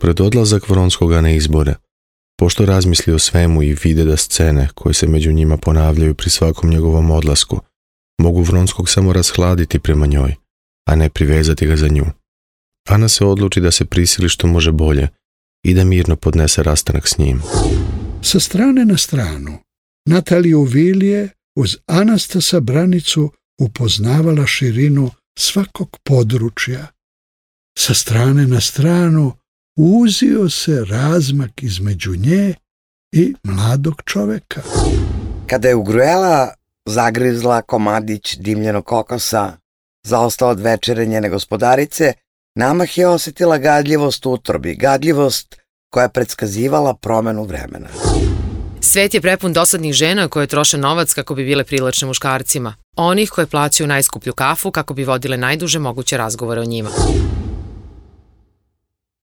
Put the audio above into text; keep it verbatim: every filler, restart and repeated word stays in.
pred odlazak Vronskoga na izbore, pošto razmisli o svemu i vide da scene koje se među njima ponavljaju pri svakom njegovom odlasku mogu Vronskog samo rashladiti prema njoj, a ne privezati ga za nju. Ana se odluči da se prisili što može bolje i da mirno podnese rastanak s njim. Sa strane na stranu, Nataliju Vilije uz Anastasa Branicu upoznavala širinu svakog područja. Sa strane na stranu uzio se razmak između nje i mladog čoveka. Kada je ugrujela, zagrizla komadić dimljenog kokosa, zaostao od večere njene gospodarice, namah je osjetila gadljivost u utrobi, gadljivost koja je predskazivala promenu vremena. Svet je prepun dosadnih žena koje troše novac kako bi bile privlačne muškarcima, onih koje plaćaju najskuplju kafu kako bi vodile najduže moguće razgovore o njima.